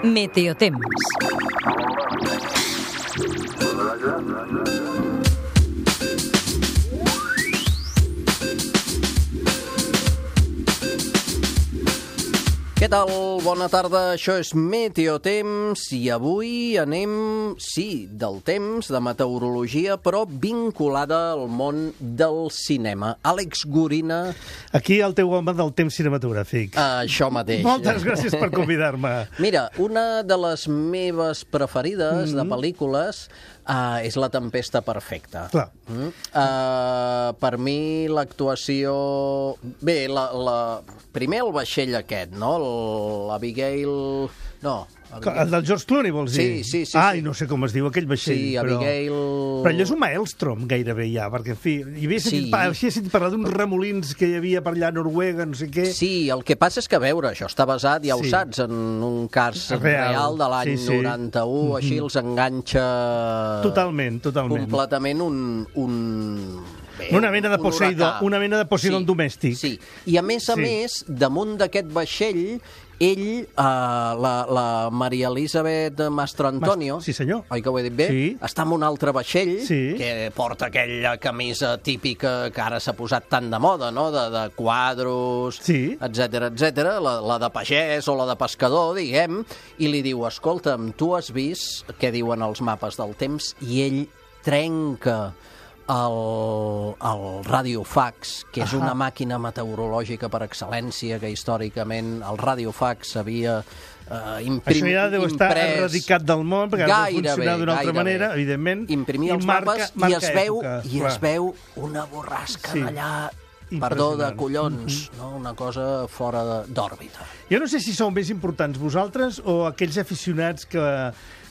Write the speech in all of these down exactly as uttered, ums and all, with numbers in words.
Meteotemps. Què tal? Bona tarda, això és Meteotemps i avui anem, sí, del temps, de meteorologia, però vinculada al món del cinema. Àlex Gorina... Aquí el teu home del temps cinematogràfic. Uh, això mateix. Moltes gràcies per convidar-me. Mira, una de les meves preferides mm-hmm. de pel·lícules uh, és La tempesta perfecta. Clar. Mm? Uh, per mi l'actuació... Bé, la, la... primer el vaixell aquest, no? L'Abigail... No, Abigail... El del George Clooney, vols dir? Sí, sí, sí. Ai, sí. no sé com es diu aquell vaixell. Sí, però... Abigail... Però allò és un maelstrom, gairebé, ja, perquè, en fi, hi havia sentit, Sí. pa... havia sentit parlar d'uns remolins que hi havia per allà a Noruega, no sé què. Sí, el que passa és que, a veure, això està basat, ja ho Sí. saps, en un cas Real. real de l'any Sí, sí. noranta-u, mm-hmm. així els enganxa... Totalment, totalment. Completament un... un... Bé, Una mena de un Poseidon, huracà. una mena de Poseidon sí, domèstic. Sí, i a més a Sí. més, damunt d'aquest vaixell, ell, eh, la, la Maria Elisabeth Mastrantonio, Mas- sí, senyor. oi que ho he dit bé? Sí. Està en un altre vaixell, Sí. que porta aquella camisa típica que ara s'ha posat tan de moda, no?, de, de quadros, Sí. etcètera, etcètera, la, la de pagès o la de pescador, diguem, i li diu, escolta'm, tu has vist què diuen els mapes del temps? I ell trenca el, el radiofax, que és Ahà. una màquina meteorològica per excel·lència, que històricament el radiofax havia eh, imprim, Això ja deu estar imprès... erradicat del món, perquè ha de funcionar d'una altra gairebé. manera, evidentment. Imprimia i els marca, mapes marca i, es veu, època, i clar. es veu una borrasca Sí. d'allà, perdó, de Impressionant. collons, no? Una cosa fora de- d'òrbita. Jo no sé si sou més importants vosaltres o aquells aficionats que,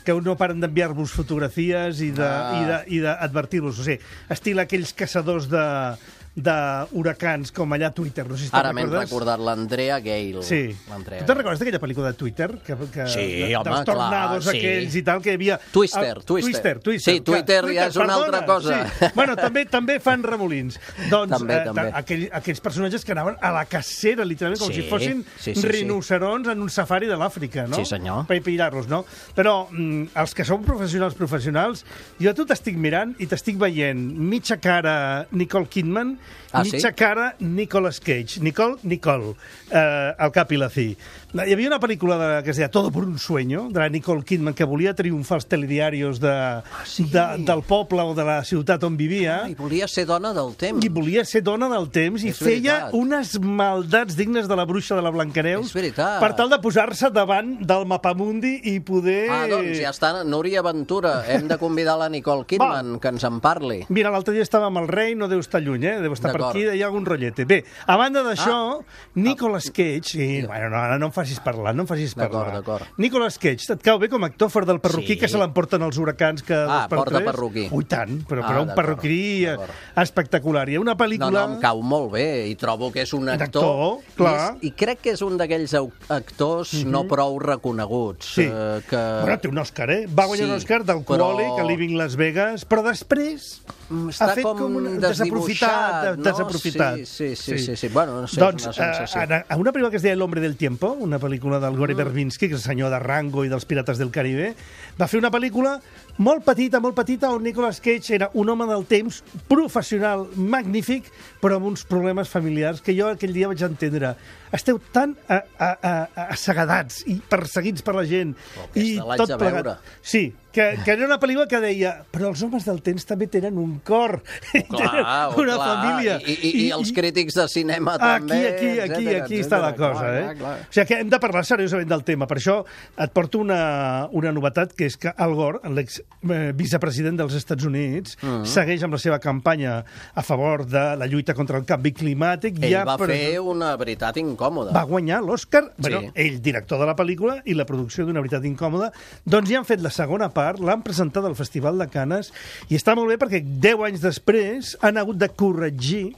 que no paren d'enviar-vos fotografies i de- Ah. i de- i d'advertir-vos. O sigui, estil aquells caçadors de d'huracans com allà a Twitter. No sé si te'n Ara m'he recordes. recordat l'Andrea Gale. Sí. L'Andrea Tu te'n Gale. recordes d'aquella pel·lícula de Twitter? Que, que, Sí, de, home, dels tornados clar, sí. aquells i tal, que hi havia... Twister, Ah, Twister. Twister, Twister. Sí, Twitter que- ja és una altra cosa. Sí. Bueno, també també fan remolins. Doncs També, eh, també. Aquell, aquells personatges que anaven a la cacera, literalment, com Sí, si fossin sí, sí, sí. rinocerons en un safari de l'Àfrica, no? Sí, senyor. Per pillar-los, no? Però mm, els que som professionals professionals, jo a tu t'estic mirant i t'estic veient mitja cara Nicole Kidman, Ah, mitja sí? cara Nicolas Cage. Nicole, Nicole, eh, al cap i la fi. Hi havia una pel·lícula de, que es deia Todo por un sueño, de la Nicole Kidman, que volia triomfar als telediaris de, Ah, sí? de, del poble o de la ciutat on vivia, I volia ser dona del temps. i volia ser dona del temps, i És feia veritat. unes maldats dignes de la bruixa de la Blancaneus És veritat. per tal de posar-se davant del mapamundi i poder... Ah, doncs ja està, Núria Ventura. Hem de convidar la Nicole Kidman, que ens en parli. Mira, l'altre dia estava amb el rei, no deu estar lluny, eh? Deu estar per D'acord. aquí, hi ha algun rotllete. Bé, a banda d'això, ah. Nicolas Cage... I, bueno, no, ara no em facis parlar, no em facis D'acord, parlar. d'acord. Nicolas Cage, et cau bé com a actor fora del perruquí Sí. que se l'emporten els huracans que Ah, dos per porta tres? perruquí. Ui, tant, però, Ah, però un d'acord, perruquí eh, d'acord. espectacular. Hi ha una No, pel·lícula... no, em cau molt bé i trobo que és un actor... actor, clar. I, és, I crec que és un d'aquells au- actors mm -hmm. no prou reconeguts. Sí. Eh, que... Bueno, té un Òscar, eh? Va guanyar Sí, un Òscar del però- Quòlic, a Living Las Vegas, però després Mm, ha està fet com, com un desdibuixat, desaprofitat. no? desaprofitat. Sí, sí, sí, sí, sí. Bueno, no sé, doncs, és una sensació. eh, a una pel·lícula que es deia El hombre del tiempo, una pel·lícula del Gore Verbinski, que és el senyor de Rango i dels Pirates del Caribe, va fer una pel·lícula molt petita, molt petita, on Nicolas Cage era un home del temps, professional, magnífic, però amb uns problemes familiars que jo aquell dia vaig entendre. Esteu tan a, a, a, a assegadats i perseguits per la gent. Oh, aquesta I l'haig tot de plegat. veure. Sí, que, que era una pel·lícula que deia però els homes del temps també tenen un cor, tenen Clar, una clar. família. I, i, I els crítics de cinema Aquí, també. aquí, aquí, etcètera, aquí està la etcètera. cosa, Clar, eh? clar, clar. O sigui que hem de parlar seriosament del tema. Per això et porto una, una novetat, que és que Al Gore, l'ex-vicepresident dels Estats Units, mm. segueix amb la seva campanya a favor de la lluita contra el canvi climàtic. Ell ja va per... fer una veritat incòmoda. Va guanyar l'Oscar, Sí. bueno, ell, director de la pel·lícula, i la producció d'Una veritat incòmoda. Doncs ja han fet la segona part, l'han presentat al Festival de Canes, i està molt bé perquè deu anys després han hagut de corregir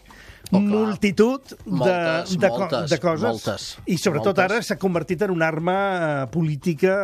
Oh, clar. multitud de, Moltes, de, co- moltes, de coses. moltes, I sobretot moltes. ara s'ha convertit en una arma eh, política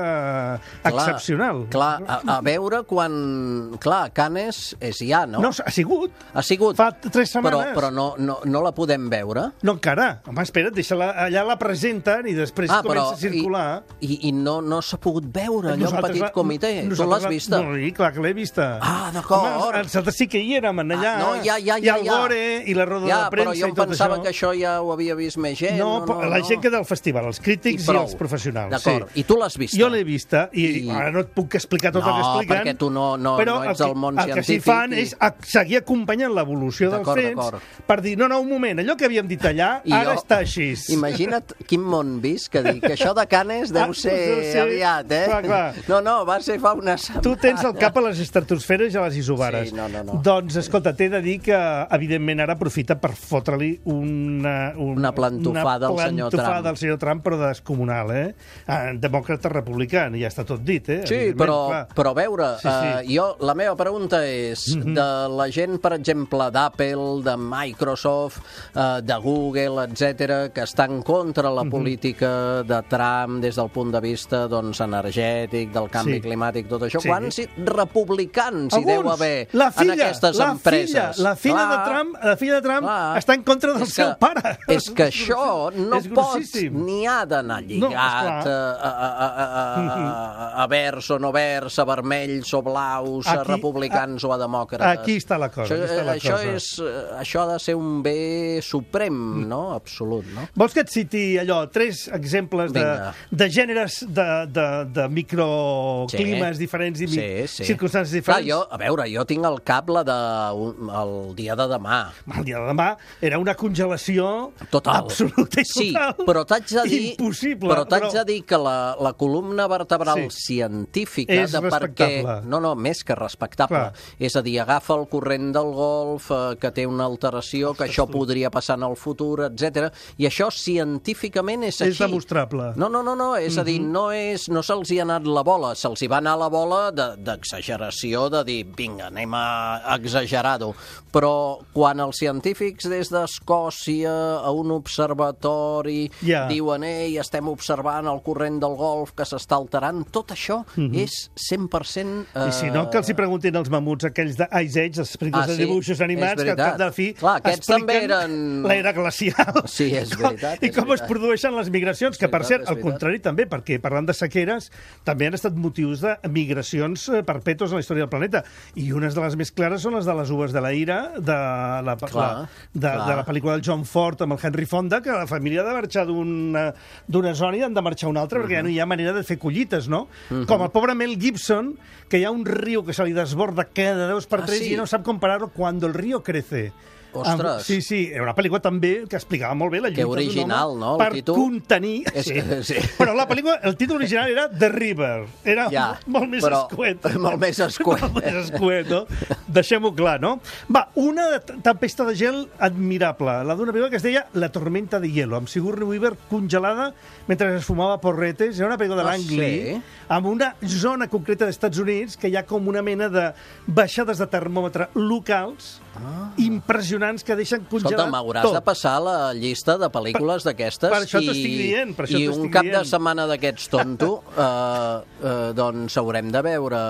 eh, Clar, excepcional. Clar, a, a veure quan... Clar, Canes és ja, no? No, ha sigut. Ha sigut. Fa tres Però, setmanes. però no, no, no la podem veure? No encara. Home, espera't, deixa-la, allà la presenten i després Ah, comença però a circular. I, i, i no, no s'ha pogut veure allò en Nosaltres petit la- comitè. Tu nosaltres l'has la- vista? No, sí, clar que l'he vista. Ah, d'acord. Home, nosaltres sí que hi érem allà. Ah, no, ja, ja, I ja, el ja. Gore i la roda Ja, de però premsa jo i em tot pensava això. que això ja ho havia vist més gent. No, no, no, la no. gent que del festival, els crítics i, prou. els professionals. D'acord. Sí. I tu l'has vista? Jo l'he vista i, I- ara no et puc explicar tot No, el que expliquen. perquè tu no- no- però no ets el del que- món El que sí científic fan i- és a- seguir acompanyant l'evolució dels D'acord, fets d'acord. per dir, no, no, un moment, allò que havíem dit allà I ara jo- està així. Imagina't quin món visc, que dic que això de Canes deu Ah, ser deu ser- aviat, eh? clar, clar. No, no, va ser fa una setmana. Tu tens el cap a les estratosferes i a les isobares. Sí, no, no, no. Doncs, escolta, t'he de dir que, evidentment, ara aprofita per fotre-li una, una, Una plantofada al senyor plantofada Trump. al senyor Trump, però descomunal, eh? Ah, demòcrata republicà, ja està tot dit, eh? Sí, Evidentment, però, clar. però a veure, Sí, sí. Uh, jo, la meva pregunta és, Mhm. de la gent, per exemple, d'Apple, de Microsoft, uh, de Google, etcètera, que està en contra Mhm. la política de Trump des del punt de vista doncs, energètic, del canvi Sí. climàtic, tot això, Sí. quants republicans hi deu Alguns. haver la filla, en aquestes la empreses? Filla, la filla Clar, de Trump, la filla de Trump clar. està en contra del És seu que- pare. És que això no És pot grossíssim. ni ha d'anar No, lligat esclar. a, a, a, a, a, a verds o no verds, a vermells o blaus, a Aquí- republicans o a demòcrates. Aquí està la cosa, Això, aquí està la això, cosa. és, eh, això ha de ser un bé suprem, no? Absolut, no? Vols que et citi allò, tres exemples de, Vinga. de gèneres de, de, de microclimes Sí. diferents i mi- Sí, sí. circumstàncies Clar, diferents? jo, a veure, jo tinc al cap la de un, el dia de demà. El dia de demà era una congelació Total. absoluta i Sí, total. però t'haig de dir... Impossible. Però t'haig de dir que la, la columna vertebral Sí. científica És de per què... respectable. No, no, més que respectable. Clar. És a dir, agafa el corrent del Golf, eh, que té una alteració, que això podria passar en el futur, etcètera. I això científicament és així. És demostrable. No, no, no, no. és a dir, no, és, no se'ls hi ha anat la bola, se'ls hi va anar la bola de- d'exageració, de, de dir, vinga, anem a exagerar-ho. Però quan els científics des d'Escòcia a un observatori Ja. diuen, ei, estem observant el corrent del Golf que s'està alterant, tot això és cent per cent... Eh... I si no, que els hi preguntin els mamuts aquells d'Ice Age, els películes Ah, de sí? dibuixos animats, És que al cap veritat. de la fi Clar, aquests també expliquen eren- l'era glacial. Sí, és I com- veritat, I és com es veritat. produeixen les migracions, que per veritat, cert, és al veritat. contrari també, perquè parlant de sequeres, també han estat motius de migracions eh, perpètues en la història del planeta. I unes de les més clares són les de les uves de la ira, de la, Clar, la, de, clar. de la pel·lícula del John Ford amb el Henry Fonda, que la família ha de marxar d'una d'una zona i han de marxar a una altra, perquè ja no hi ha manera de fer collites, no? Com el pobre Mel Gibson, que hi ha un riu que se li desborda cada dos per Ah, tres sí? i no sap com parar-ho quan el riu crece. Ostres. Amb, sí, sí, era una pel·lícula també que explicava molt bé la lluita Que original, d'un home no, el per títol? contenir... És sí. que- sí. Però la pel·lícula, el títol original era The River. Era Ja, molt, molt més però- escuet. molt més escuet. molt més escuet, no? Deixem-ho clar, no? Va, una t- tempesta de gel admirable, la d'una pel·lícula que es deia La tormenta de hielo, amb Sigourney Weaver congelada mentre es fumava porretes. Era una pel·lícula de Ah, l'Ang Lee, sí? amb una zona concreta dels Estats Units que hi ha com una mena de baixades de termòmetre locals Ah. impressionants que deixen congelat Escolta, m'hauràs tot. de passar la llista de pel·lícules d'aquestes per això i, t'estic dient, per això i un t'estic cap de dient. setmana d'aquests tonto, eh, eh, doncs haurem de veure...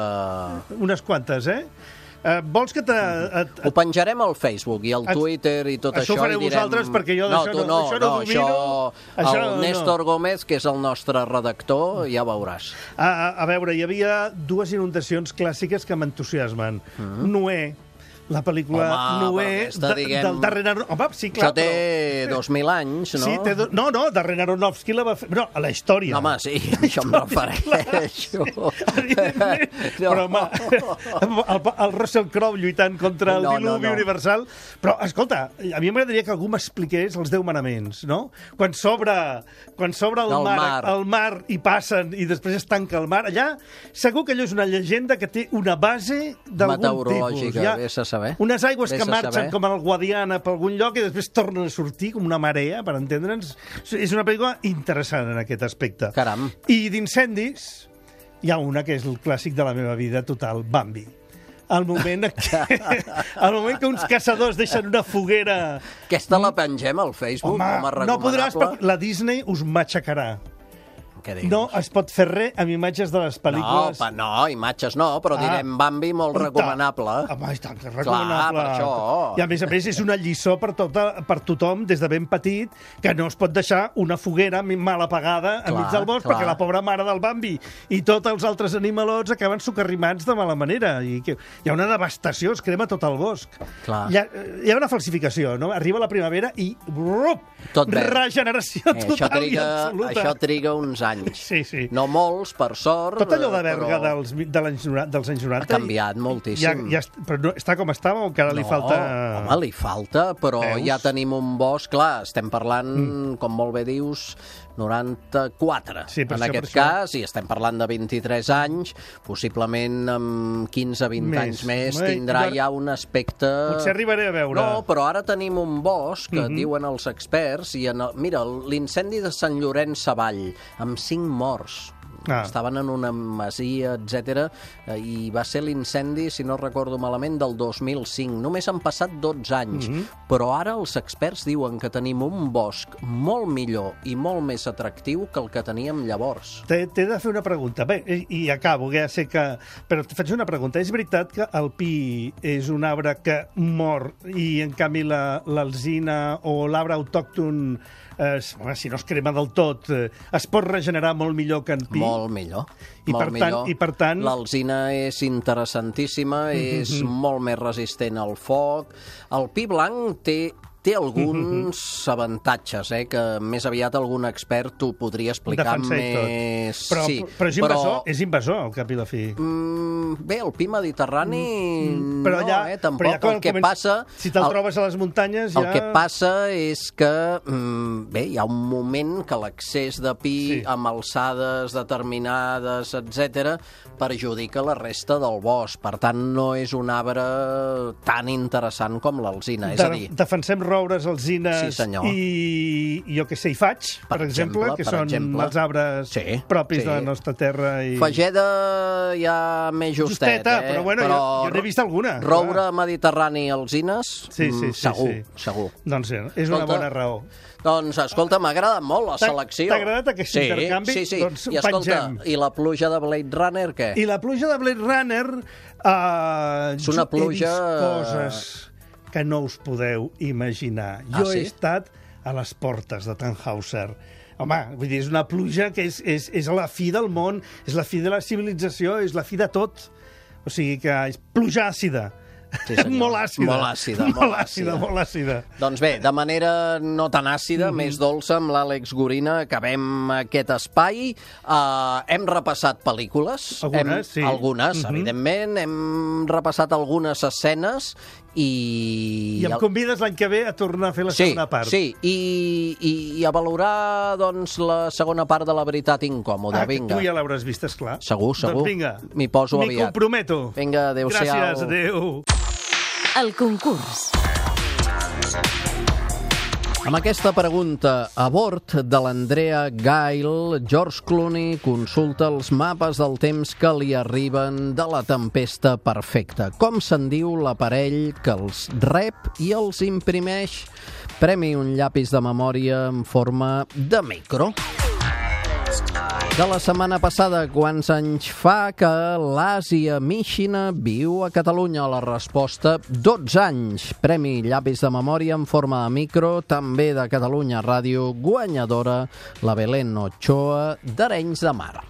Unes quantes, eh? Uh, vols que te... Et, Ho penjarem al Facebook i al Et- Twitter i tot Això això. ho fareu i direm... vosaltres, perquè jo no, d'això tu no- no, això no no, domino. això, Això el no. Néstor Gómez, que és el nostre redactor, ja veuràs. a, a, a veure, hi havia dues inundacions clàssiques que m'entusiasmen. Mm. Noé, la pel·lícula Home, Noé però aquesta, de, diguem- del Darren Aronofsky. Home, sí, clar, Això té dos mil anys, no? Sí, té do... No, no, Darren Aronofsky la va fer... No, a la història. No, home, sí, això em refereixo. Evidentment. No. Però, home, el, el Russell Crowe lluitant contra el No, no, diluvi no. universal. Però, escolta, a mi m'agradaria que algú m'expliqués els deu manaments, no? Quan s'obre quan s'obre el Del mar, mar. el mar i passen i després es tanca el mar, allà segur que allò és una llegenda que té una base d'algun tipus. Meteorològica, vés a saber. Unes aigües Vés que a marxen saber. com el Guadiana per algun lloc i després tornen a sortir com una marea, per entendre'ns. És una pel·lícula interessant en aquest aspecte. Caram. I d'incendis hi ha una que és el clàssic de la meva vida total, Bambi. al moment que, al moment que uns caçadors deixen una foguera... Aquesta la pengem al Facebook Home, com a recomanable? no podràs, perquè la Disney us matxacarà. Què dius? No es pot fer res amb imatges de les pel·lícules. No, pa, no, imatges no, però Ah. direm Bambi molt recomanable. Home, i tant, que és recomanable. per això. I a més a més és una lliçó per, tota, per tothom des de ben petit que no es pot deixar una foguera mal apagada Clar, enmig del bosc clar. perquè la pobra mare del Bambi i tots els altres animalots acaben socarrimats de mala manera. I que hi ha una devastació, es crema tot el bosc. Clar. Hi ha, hi ha una falsificació, no? Arriba la primavera i... Brup, Tot verd. regeneració Eh, total això, triga, i absoluta. això triga uns anys. Sí, sí. No molts, per sort. Tot allò de Berga però dels, de l'anys noranta, dels anys noranta... Ha canviat moltíssim. Ja, ja, est- però no, està com estava o encara li no, falta... home, li falta, però Veus? ja tenim un bosc, clar, estem parlant, mm. com molt bé dius, noranta-quatre. Sí, per en això, aquest per això. cas, i estem parlant de vint-i-tres anys, possiblement amb quinze vint Més. anys més Ai, tindrà jo- ja un aspecte... Potser arribaré a veure. No, però ara tenim un bosc, que Mhm. diuen els experts, i en el, mira, l'incendi de Sant Llorenç Savall, amb cinc morts. Ah. Estaven en una masia, etcètera, i va ser l'incendi, si no recordo malament, del dos mil cinc. Només han passat dotze anys, Mhm. però ara els experts diuen que tenim un bosc molt millor i molt més atractiu que el que teníem llavors. T'he t'he de fer una pregunta. Bé, i, i acabo, que ja sé que... Però et faig una pregunta. És veritat que el pi és un arbre que mor i, en canvi, la- l'alzina o l'arbre autòcton, eh, si no es crema del tot, eh, es pot regenerar molt millor que en pi? Molt millor. I molt per tant- millor. i per tant- L'alzina és interessantíssima, és molt més resistent al foc. El pi blanc té té alguns avantatges, eh, que més aviat algun expert t'ho podria explicar Defensa i tot. més... Però, sí, però és invasor, és invasor, al cap i la fi. Mm, bé, el pi mediterrani Però no, ja, eh, tampoc. però ja quan el que comença- passa... Si te'l el- trobes a les muntanyes, ja... El que passa és que, mm, bé, hi ha un moment que l'accés de pi Sí. amb alçades determinades, etcètera, perjudica la resta del bosc. Per tant, no és un arbre tan interessant com l'alzina. És a dir, Defensem roures, alzines Sí, senyor. i, jo que sé, i faig, per, Per exemple, exemple, que per són exemple. els arbres Sí, propis sí. de la nostra terra. I... Fageda ja més justet, Justeta, eh? però bueno, jo- jo n'he vist alguna, Roure clar. mediterrani i alzines, Sí, sí, mm, sí, segur, sí. segur. Doncs sí, és una Escolta, bona raó. Doncs, escolta, m'ha agradat molt la T'ha- selecció. t'ha agradat aquest sí, intercanvi? Sí, sí. Doncs I escolta, pengem. i la pluja de Blade Runner, què? I la pluja de Blade Runner... Uh, És una pluja- He vist coses que no us podeu imaginar. Ah, Jo sí? he estat a les portes de Tannhauser. Home, vull dir, és una pluja que és, és, és la fi del món, és la fi de la civilització, és la fi de tot. O sigui que és pluja àcida. Sí, senyor. molt àcida. Molt àcida, molt molt àcida. àcida. Molt àcida. Doncs bé, de manera no tan àcida, Mhm. més dolça, amb l'Àlex Gorina, acabem aquest espai. Uh, hem repassat pel·lícules. Algunes, hem, sí. Algunes, Mhm. evidentment. Hem repassat algunes escenes i... I em convides l'any que ve a tornar a fer la Sí, segona part. sí, i, i, i a valorar doncs, la segona part de La veritat incòmoda. Ah, que Vinga. tu ja l'hauràs vist, esclar. Segur, segur. Doncs vinga. M'hi poso M'hi aviat. comprometo. Vinga, adéu-siau. Gràcies, adéu. El concurs. Amb aquesta pregunta a bord de l'Andrea Gail, George Clooney consulta els mapes del temps que li arriben de la tempesta perfecta. Com se'n diu l'aparell que els rep i els imprimeix? Premi un llapis de memòria en forma de micro. De la setmana passada, quants anys fa que l'Àsia Míxina viu a Catalunya? La resposta, dotze anys. Premi llapis de memòria en forma de micro, també de Catalunya Ràdio, guanyadora la Belén Ochoa d'Arenys de Mar.